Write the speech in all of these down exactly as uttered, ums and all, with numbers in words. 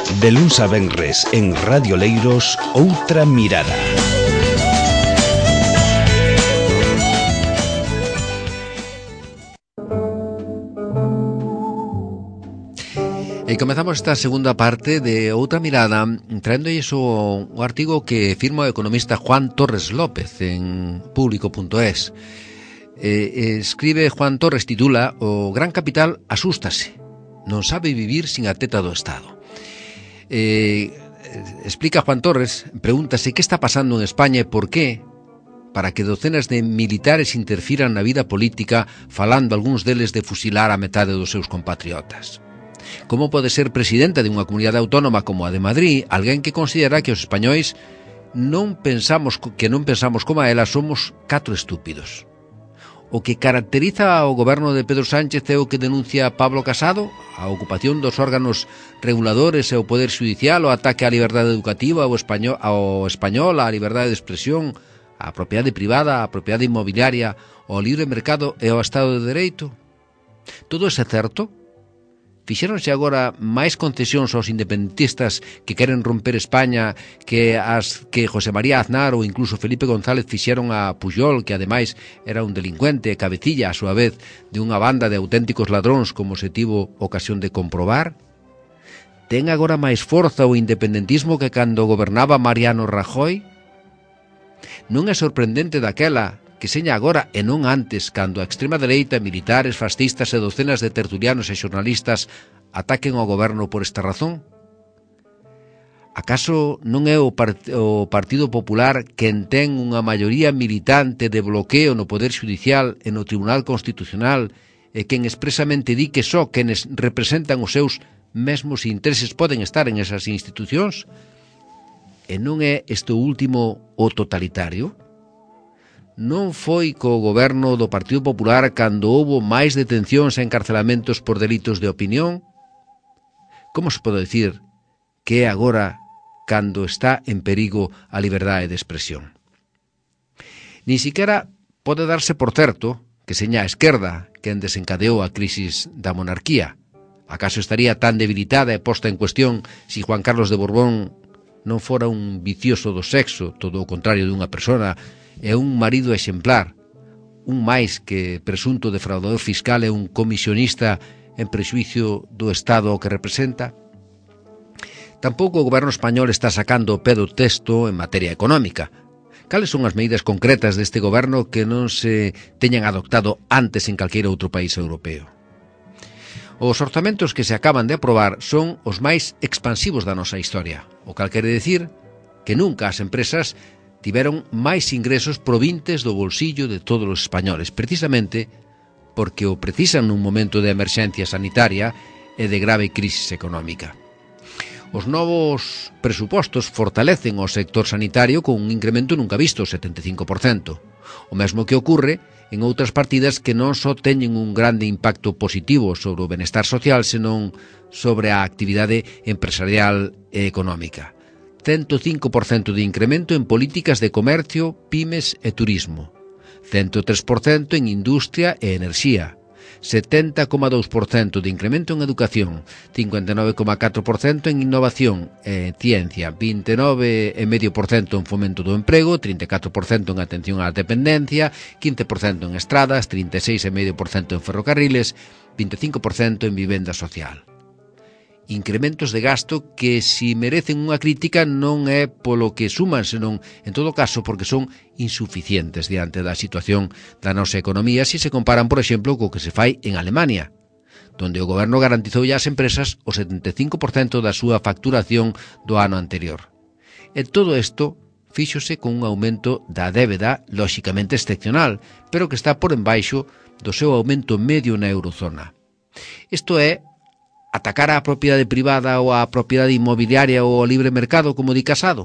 De luns a venres en Radio Leiros, Outra Mirada. E comezamos esta segunda parte de Outra Mirada traéndolles o, o artigo que firma o economista Juan Torres López en público punto es. Eh, escribe Juan Torres, titula: O gran capital asústase, non sabe vivir sin a teta do Estado. Eh, explica Juan Torres, pregúntase que está pasando en España e por qué para que docenas de militares interfiran na vida política, falando algúns deles de fusilar a metade dos seus compatriotas. Como pode ser presidenta de unha comunidade autónoma como a de Madrid alguén que considera que os españois non pensamos que non pensamos como a ela, somos catro estúpidos? O que caracteriza ao goberno de Pedro Sánchez é o que denuncia Pablo Casado, a ocupación dos órganos reguladores e o poder judicial, o ataque á liberdade educativa, ao español, ao español, á liberdade de expresión, á propiedade privada, á propiedade inmobiliaria, ao libre mercado e ao Estado de Dereito. Todo ese certo? Fixéronse agora máis concesións aos independentistas que queren romper España que as que José María Aznar ou incluso Felipe González fixeron a Pujol, que ademais era un delincuente e cabecilla a súa vez de unha banda de auténticos ladróns, como se tivo ocasión de comprobar? Ten agora máis forza o independentismo que cando gobernaba Mariano Rajoy? Non é sorprendente daquela que seña agora e non antes, cando a extrema dereita, militares, fascistas e docenas de tertulianos e xornalistas ataquen ao goberno por esta razón? Acaso non é o, part o Partido Popular quen ten unha maioría militante de bloqueo no Poder Judicial e no Tribunal Constitucional e quen expresamente di que só quenes representan os seus mesmos intereses poden estar en esas institucións? E non é este último o totalitario? Non foi co goberno do Partido Popular cando houbo máis detencións e encarcelamentos por delitos de opinión? Como se pode dicir que é agora cando está en perigo a liberdade de expresión? Ni siquiera pode darse por certo que seña a esquerda quen desencadeou a crisis da monarquía. Acaso estaría tan debilitada e posta en cuestión si Juan Carlos de Borbón non fora un vicioso do sexo, todo o contrario dunha persona, é un marido exemplar, un máis que presunto defraudador fiscal e un comisionista en prexuicio do Estado que representa? Tampouco o goberno español está sacando o pé do texto en materia económica. Cales son as medidas concretas deste goberno que non se teñan adoptado antes en calqueira outro país europeo? Os orzamentos que se acaban de aprobar son os máis expansivos da nosa historia, o cal quere decir que nunca as empresas tiveron máis ingresos provintes do bolsillo de todos os españoles, precisamente porque o precisan nun momento de emerxencia sanitaria e de grave crisis económica. Os novos presupostos fortalecen o sector sanitario con un incremento nunca visto, setenta e cinco por cento. O mesmo que ocorre en outras partidas que non só teñen un grande impacto positivo sobre o benestar social, senón sobre a actividade empresarial e económica. cento cinco por cento de incremento en políticas de comercio, pymes e turismo, cento tres por cento en industria e enerxía, setenta coma dous por cento de incremento en educación, cincuenta e nove coma catro por cento en innovación e ciencia, vinte e nove coma cinco por cento en fomento do emprego, trinta e catro por cento en atención á dependencia, quince por cento en estradas, trinta e seis coma cinco por cento en ferrocarriles, vinte e cinco por cento en vivenda social. Incrementos de gasto que, si merecen unha crítica, non é polo que suman, senón, en todo caso, porque son insuficientes diante da situación da nosa economía, se se comparan, por exemplo, co que se fai en Alemania, donde o goberno garantizou ás empresas o setenta e cinco por cento da súa facturación do ano anterior. E todo isto fíxose con un aumento da débeda, lóxicamente excepcional, pero que está por embaixo do seu aumento medio na eurozona. Isto é atacar á propiedade privada ou á propiedade inmobiliaria ou ao libre mercado, como di Casado?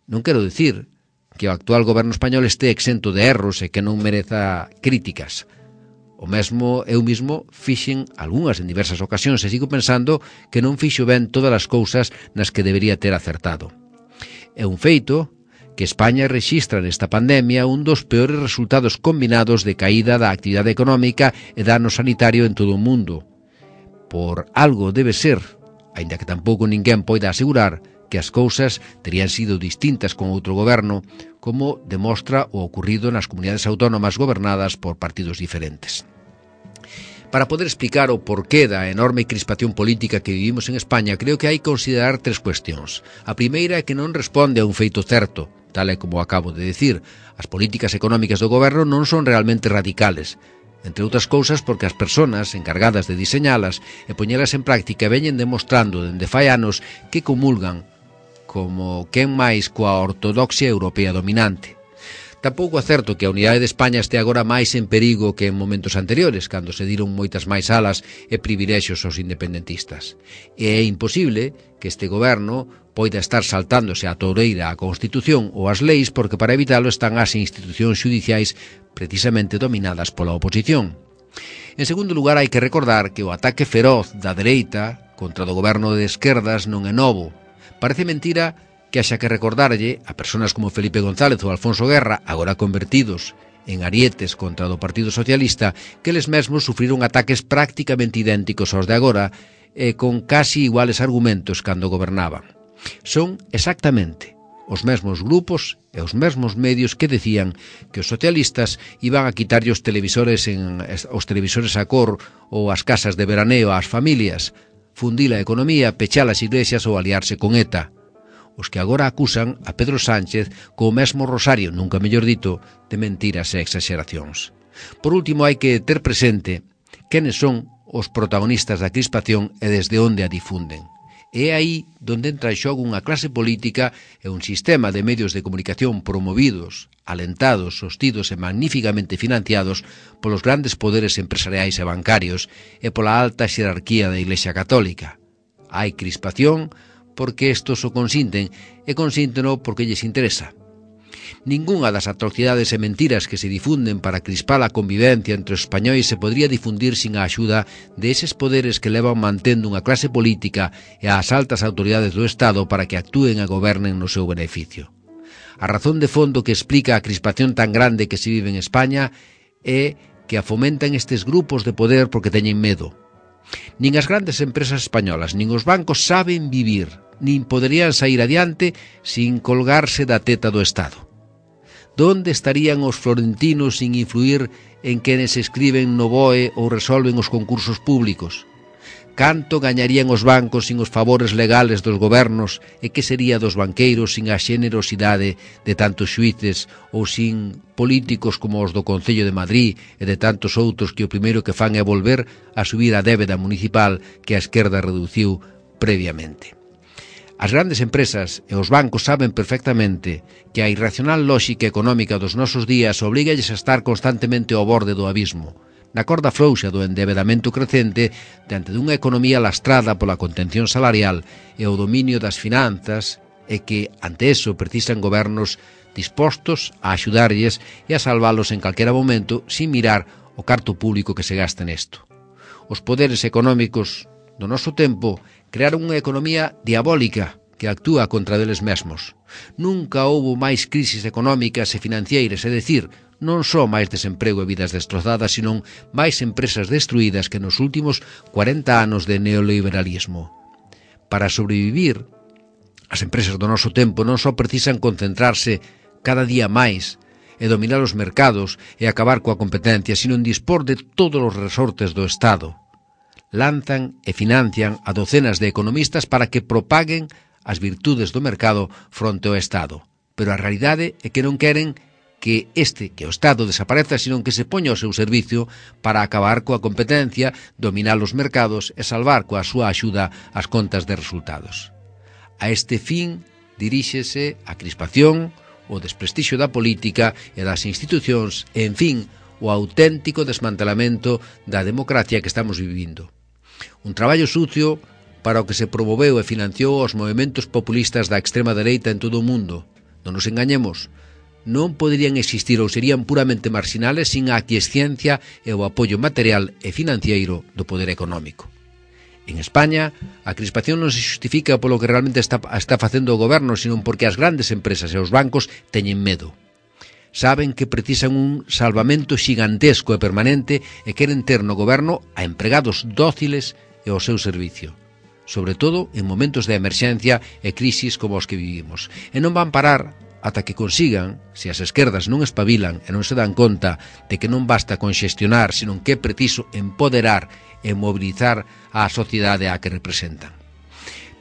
Non quero dicir que o actual goberno español este exento de erros e que non mereza críticas. O mesmo eu mismo fixen algunhas en diversas ocasións e sigo pensando que non fixo ben todas as cousas nas que debería ter acertado. É un feito que España rexistra nesta pandemia un dos peores resultados combinados de caída da actividade económica e dano sanitario en todo o mundo. Por algo debe ser aínda que tampouco ninguén poida asegurar que as cousas terían sido distintas con outro goberno, como demostra o ocurrido nas comunidades autónomas gobernadas por partidos diferentes. Para poder explicar o porqué da enorme crispación política que vivimos en España, creo que hai que considerar tres cuestións. A primeira é que non responde a un feito certo, tal e como acabo de decir. As políticas económicas do goberno non son realmente radicales, entre outras cousas porque as persoas encargadas de diseñalas e poñelas en práctica veñen demostrando dende fai anos que comulgan como quen máis coa ortodoxia europea dominante. Tampouco é certo que a unidade de España este agora máis en perigo que en momentos anteriores, cando se diron moitas máis alas e privilexios aos independentistas. E é imposible que este goberno poida estar saltándose a toureira a Constitución ou as leis porque para evitalo están as institucións xudiciais precisamente dominadas pola oposición. En segundo lugar, hai que recordar que o ataque feroz da dereita contra o goberno de esquerdas non é novo. Parece mentira que haxa que recordarlle a persoas como Felipe González ou Alfonso Guerra, agora convertidos en arietes contra do Partido Socialista, que eles mesmos sufriron ataques prácticamente idénticos aos de agora e con casi iguales argumentos cando gobernaban. Son exactamente os mesmos grupos e os mesmos medios que decían que os socialistas iban a quitarlle os televisores, en, os televisores a cor ou as casas de veraneo ás familias, fundir a economía, pechar as iglesias ou aliarse con ETA. Os que agora acusan a Pedro Sánchez co mesmo rosario, nunca mellor dito, de mentiras e exageracións. Por último, hai que ter presente quenes son os protagonistas da crispación e desde onde a difunden. É aí donde entra en xogo unha clase política e un sistema de medios de comunicación promovidos, alentados, sostidos e magníficamente financiados polos grandes poderes empresariais e bancarios e pola alta xerarquía da Iglesia Católica. Hai crispación porque estos o consinten e consínteno porque lles interesa. Ningunha das atrocidades e mentiras que se difunden para crispar a convivencia entre os españois se podría difundir sin a axuda de eses poderes que levan mantendo unha clase política e ás altas autoridades do Estado para que actúen e gobernen no seu beneficio. A razón de fondo que explica a crispación tan grande que se vive en España é que a fomentan estes grupos de poder porque teñen medo. Nin as grandes empresas españolas, nin os bancos saben vivir, nin poderían sair adiante sin colgarse da teta do Estado. Donde estarían os florentinos sin influir en quenes escriben no B O E ou resolven os concursos públicos? Canto gañarían os bancos sin os favores legales dos gobernos e que sería dos banqueiros sin a xenerosidade de tantos xuíces ou sin políticos como os do Concello de Madrid e de tantos outros que o primeiro que fan é volver a subir a débeda municipal que a esquerda reduciu previamente? As grandes empresas e os bancos saben perfectamente que a irracional lóxica económica dos nosos días obrigalles a estar constantemente ao borde do abismo, na corda frouxa do endebedamento crecente diante dunha economía lastrada pola contención salarial e o dominio das finanzas e que, ante eso, precisan gobernos dispostos a axudarlles e a salvalos en calquera momento sin mirar o carto público que se gasta nesto. Os poderes económicos do noso tempo crearon unha economía diabólica que actúa contra deles mesmos. Nunca houbo máis crisis económicas e financeiras, é dicir, non só máis desemprego e vidas destrozadas, sino máis empresas destruídas que nos últimos cuarenta anos de neoliberalismo. Para sobrevivir, as empresas do noso tempo non só precisan concentrarse cada día máis e dominar os mercados e acabar coa competencia, sino en dispor de todos os resortes do Estado. Lanzan e financian a docenas de economistas para que propaguen as virtudes do mercado fronte ao Estado. Pero a realidade é que non queren que este, que o Estado desapareza, sino que se poña ao seu servicio para acabar coa competencia, dominar os mercados e salvar coa súa axuda as contas de resultados. A este fin diríxese a crispación, o desprestixio da política e das institucións e, en fin, o auténtico desmantelamento da democracia que estamos vivindo. Un traballo sucio para o que se promoveu e financiou os movementos populistas da extrema dereita en todo o mundo. Non nos engañemos, non poderían existir ou serían puramente marxinales sin a aquiescencia e o apoio material e financiero do poder económico. En España, a crispación non se justifica polo que realmente está, está facendo o goberno, sino porque as grandes empresas e os bancos teñen medo. Saben que precisan un salvamento xigantesco e permanente e queren ter no goberno a empregados dóciles e ao seu servicio. sobre todo en momentos de emerxencia e crisis como os que vivimos. E non van parar ata que consigan, se as esquerdas non espabilan e non se dan conta de que non basta con xestionar, senón que é preciso empoderar e mobilizar a sociedade a que representan.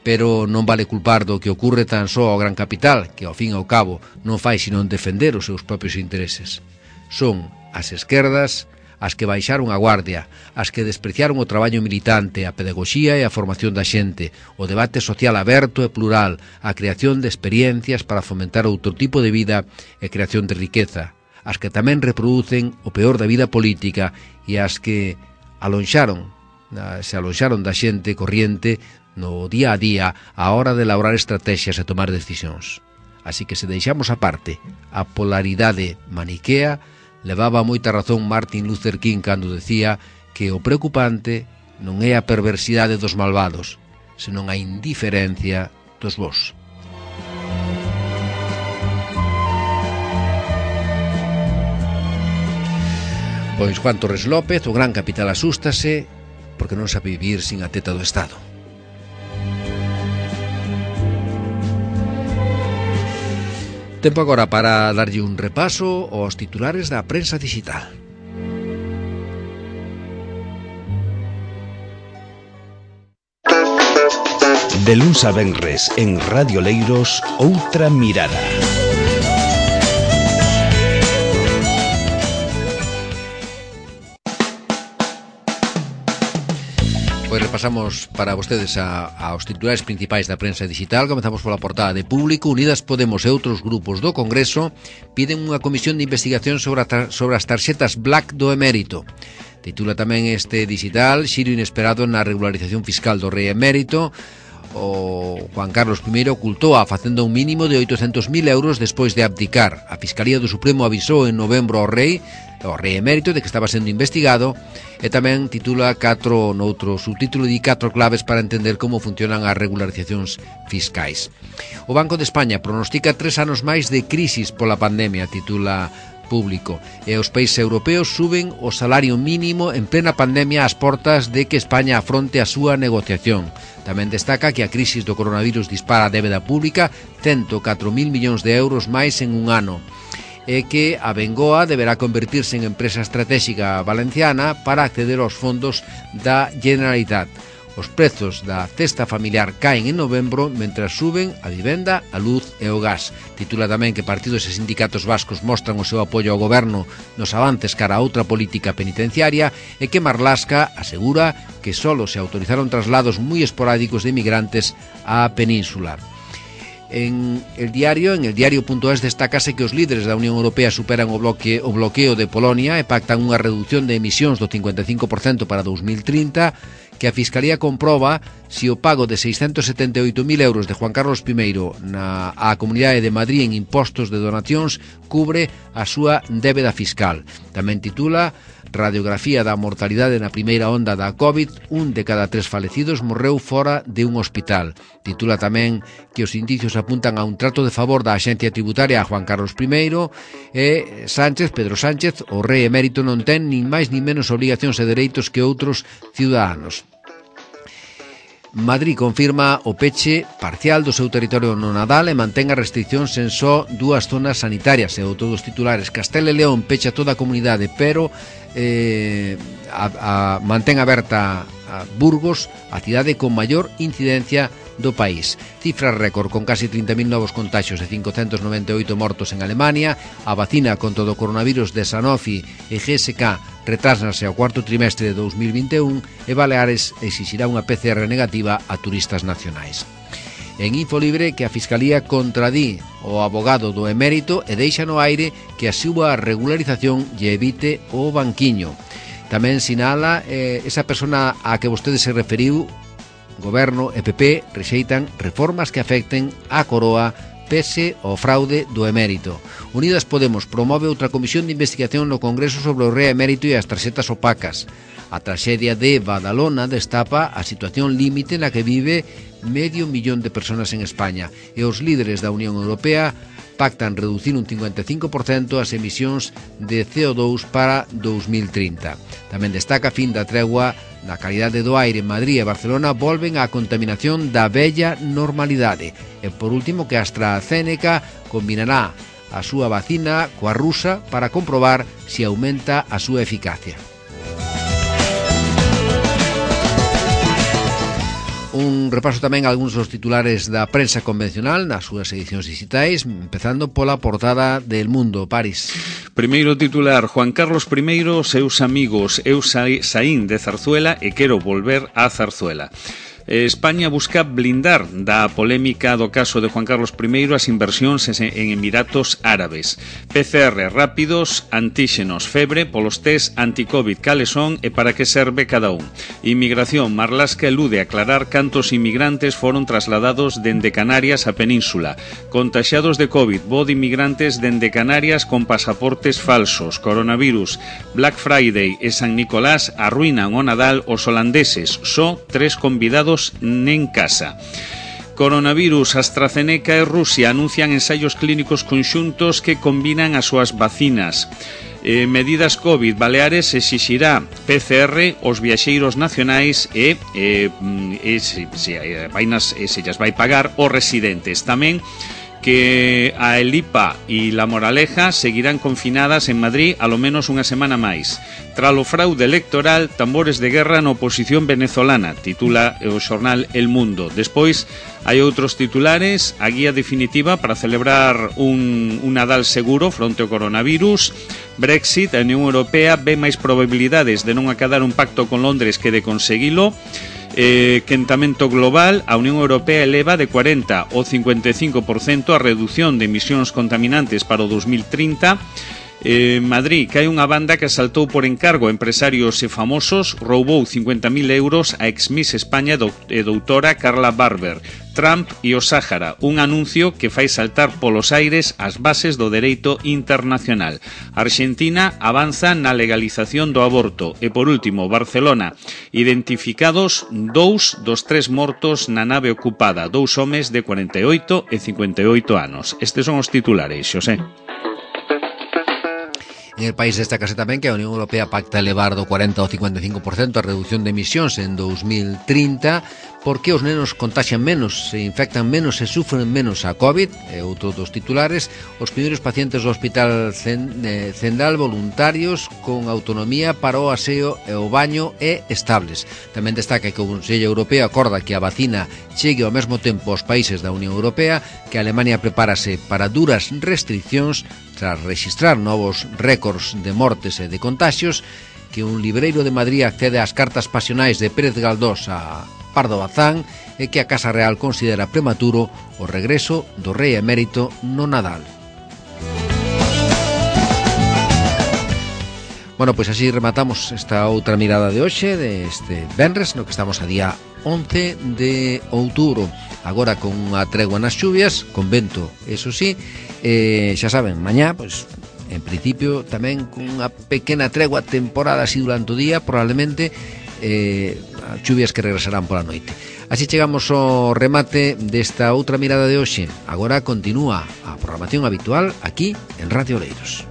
Pero non vale culpar do que ocurre tan só ao gran capital, que ao fin e ao cabo non fai sino defender os seus propios intereses. Son as esquerdas as que baixaron a guardia, as que despreciaron o traballo militante, a pedagoxía e a formación da xente, o debate social aberto e plural, a creación de experiencias para fomentar outro tipo de vida e creación de riqueza, as que tamén reproducen o peor da vida política e as que alonxaron, se alonxaron da xente corriente no día a día a hora de elaborar estrategias e tomar decisións. Así que se deixamos aparte a polaridade maniquea, levaba moita razón Martin Luther King cando decía que o preocupante non é a perversidade dos malvados, senón a indiferencia dos bos. Pois Juan Torres López, o gran capital, asústase porque non sabe vivir sin a teta do Estado. Tempo agora para darlle un repaso aos titulares da prensa digital. De luns a venres en Radio Leiros, outra mirada. Pois repasamos para vostedes a, aos titulares principais da prensa digital. Comezamos pola portada de Público. Unidas Podemos e outros grupos do Congreso piden unha comisión de investigación sobre, a, sobre as tarxetas Black do emérito. Titula tamén este digital: Xiro inesperado na regularización fiscal do rei emérito. O Juan Carlos primeiro ocultou a facenda un mínimo de oitocentos mil euros despois de abdicar. A Fiscalía do Supremo avisou en novembro ao rei, ao rei emérito, de que estaba sendo investigado. E tamén titula catro, noutro subtítulo, di catro claves para entender como funcionan as regularizacións fiscais. O Banco de España pronostica tres anos máis de crisis pola pandemia, titula Público. E os países europeos suben o salario mínimo en plena pandemia ás portas de que España afronte a súa negociación. Tamén destaca que a crisis do coronavirus dispara a débeda pública ciento catro mil millóns de euros máis en un ano, e que a Bengoa deberá convertirse en empresa estratégica valenciana para acceder aos fondos da Generalitat. Os prezos da cesta familiar caen en novembro, mentras suben a vivenda, a luz e o gas. Titula tamén que partidos e sindicatos vascos mostran o seu apoio ao goberno nos avances cara a outra política penitenciaria, e que Marlaska asegura que solo se autorizaron traslados moi esporádicos de migrantes á península. En el diario, en el diario.es, destácase que os líderes da Unión Europea superan o, bloque, o bloqueo de Polonia e pactan unha reducción de emisións do cincuenta e cinco por cento para dos mil trinta, que a Fiscalía comproba se o pago de seiscentos setenta e oito mil euros de Juan Carlos primeiro na a Comunidade de Madrid en impostos de donacións cubre a súa débeda fiscal. Tamén titula Radiografía da mortalidade na primeira onda da COVID, un de cada tres falecidos morreu fora de un hospital. Titula tamén que os indicios apuntan a un trato de favor da Axencia Tributaria a Juan Carlos primeiro, e Sánchez, Pedro Sánchez, o rei emérito, non ten nin máis nin menos obligacións e dereitos que outros ciudadanos. Madrid confirma o peche parcial do seu territorio no Nadal e mantén as restriccións en só dúas zonas sanitarias. E outro dos titulares: Castela e León pecha toda a comunidade, pero eh, a, a, mantén aberta a Burgos, a cidade con maior incidencia do país. Cifra récord con casi trinta mil novos contagios e cincocentos noventa e oito mortos en Alemania. A vacina contra o coronavirus de Sanofi e G S K retrásnase ao cuarto trimestre de dos mil vinte e un, e Baleares exixirá unha P C R negativa a turistas nacionais. En Infolibre, que a Fiscalía contradí o abogado do emérito e deixa no aire que a súa regularización lle evite o banquiño. Tamén sinala eh, esa persona a que vostede se referiu: Goberno e P P rexeitan reformas que afecten a Coroa pese ao fraude do emérito. Unidas Podemos promove outra comisión de investigación no Congreso sobre o rei emérito e as tarxetas opacas. A traxedia de Badalona destapa a situación límite na que vive medio millón de persoas en España e os líderes da Unión Europea pactan reducir un cincuenta e cinco por cento as emisións de C O dous para dous mil trinta. Tamén destaca a fin da tregua na calidade do aire en Madrid e Barcelona volven á contaminación da vella normalidade. E por último que a AstraZeneca combinará a súa vacina coa rusa para comprobar se aumenta a súa eficacia. Un repaso tamén a algúns dos titulares da prensa convencional nas súas edicións digitais, empezando pola portada del Mundo, París. Primeiro titular, Juan Carlos I, seus amigos, eu saín de Zarzuela e quero volver a Zarzuela. España busca blindar da polémica do caso de Juan Carlos I as inversións en Emiratos Árabes. P C R rápidos, antíxenos, febre, polos test anti-Covid cales son e para que serve cada un. Inmigración, Marlaska elude aclarar cantos inmigrantes foron trasladados dende Canarias a Península. Contaxiados de Covid, bo de inmigrantes dende Canarias con pasaportes falsos. Coronavirus, Black Friday e San Nicolás arruinan o Nadal os holandeses. Só tres convidados en casa. Coronavirus, AstraZeneca e Rusia anuncian ensaios clínicos conxuntos que combinan as súas vacinas. Eh, medidas COVID, Baleares exixirá P C R aos viaxeiros nacionais e, eh, e se, se, vainas, e se llas vai pagar os residentes. Tamén que a El I P A e La Moraleja seguirán confinadas en Madrid a lo menos unha semana máis. Tralo fraude electoral, tambores de guerra na oposición venezolana, titula o xornal El Mundo. Despois, hai outros titulares, a guía definitiva para celebrar un, un Nadal seguro fronte ao coronavirus, Brexit, a Unión Europea ve máis probabilidades de non acadar un pacto con Londres que de conseguilo. Eh, quentamento global, a Unión Europea eleva de cuarenta ao cincuenta e cinco por cento a reducción de emisións contaminantes para o dos mil trinta. Eh, Madrid, que hai unha banda que asaltou por encargo a empresarios e famosos, roubou cincuenta mil euros a ex-Miss España e doutora Carla Barber. Trump e o Sáhara, un anuncio que fai saltar polos aires as bases do dereito internacional. Argentina avanza na legalización do aborto. E por último, Barcelona, identificados dous dos tres mortos na nave ocupada, dous homes de cuarenta e oito e cincuenta e oito anos. Estes son os titulares, Xosé. En el país destacase tamén que a Unión Europea pacta elevar do cuarenta ao cincuenta e cinco por cento a reducción de emisións en dos mil trinta porque os nenos contaxian menos, se infectan menos e sufren menos a COVID, e outro dos titulares, os primeiros pacientes do Hospital Zendal voluntarios con autonomía para o aseo e o baño e estables. Tamén destaca que o Consello Europeo acorda que a vacina chegue ao mesmo tempo aos países da Unión Europea, que Alemania prepárase para duras restriccións tras registrar novos récords de mortes e de contaxios, que un libreiro de Madrid accede ás cartas pasionais de Pérez Galdós a Pardo Bazán e que a Casa Real considera prematuro o regreso do rei emérito no Nadal. Bueno, pois así rematamos esta outra mirada de hoxe, deste venres, no que estamos a día once de outubro. Agora con unha tregua nas chuvias, con vento, eso sí, eh, xa saben, mañá, pois, en principio, tamén con unha pequena tregua temporada así durante o día, probablemente, eh, chuvias que regresarán pola noite. Así chegamos ao remate desta outra mirada de hoxe. Agora continúa a programación habitual aquí en Radio Oleiros.